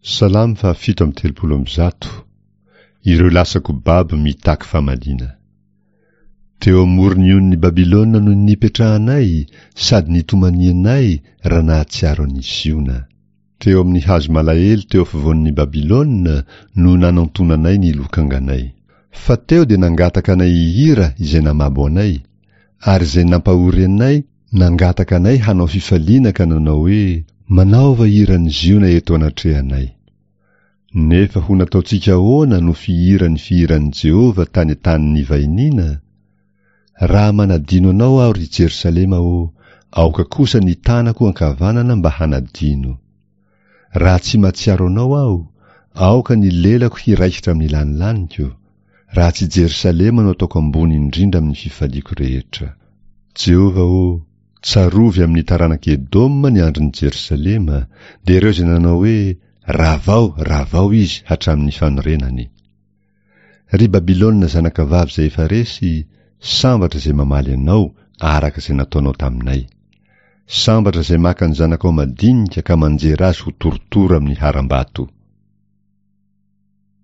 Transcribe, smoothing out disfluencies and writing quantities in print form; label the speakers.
Speaker 1: Salamo faha 137. Ireo lasa-ko babo mitaky famaliana. Teo amoron'ny onin'i Babylona no nipetrahanay sady nitomanianay raha nahatsiaro an'i Ziona. Teo amin'ny hazo malahelo teo afovoan'i Babylona no nanantonanay ny lokanganay. Fa teo dia nangataka anay hihira izay namabo anay, ary izay nampahory anay nangataka anay hanao fifaliana ka nanao hoe, Manaova hiran'i Ziona eto anatrehanay. Nefa ho nataontsika ahoana no fihira ny fihiran'i Jehovah tany an-tany nivahiniana? Raha manadino anao aho, ry Jerosalema ô, aoka kosa ny tanako ankavanana mba hanadino. Raha tsy mahatsiaro anao aho, aoka ny lelako hiraikitra amin'ny lanilaniko, raha tsy Jerosalema no ataoko ambony indrindra amin'ny fifaliako rehetra. Jehovah ô, tsarovy amin'ny taranak'i Edoma ny andron'i Jerosalema, dia ireo izay nanao hoe, Ravao, ravao izy hatramin'ny fanorenany. Ry Babylona zanakavavy izay efa resy, sambatra izay mamaly anao araka izay nataonao taminay. Sambatra izay maka ny zanakao madinika ka manjera azy ho torotoro amin'ny harambato.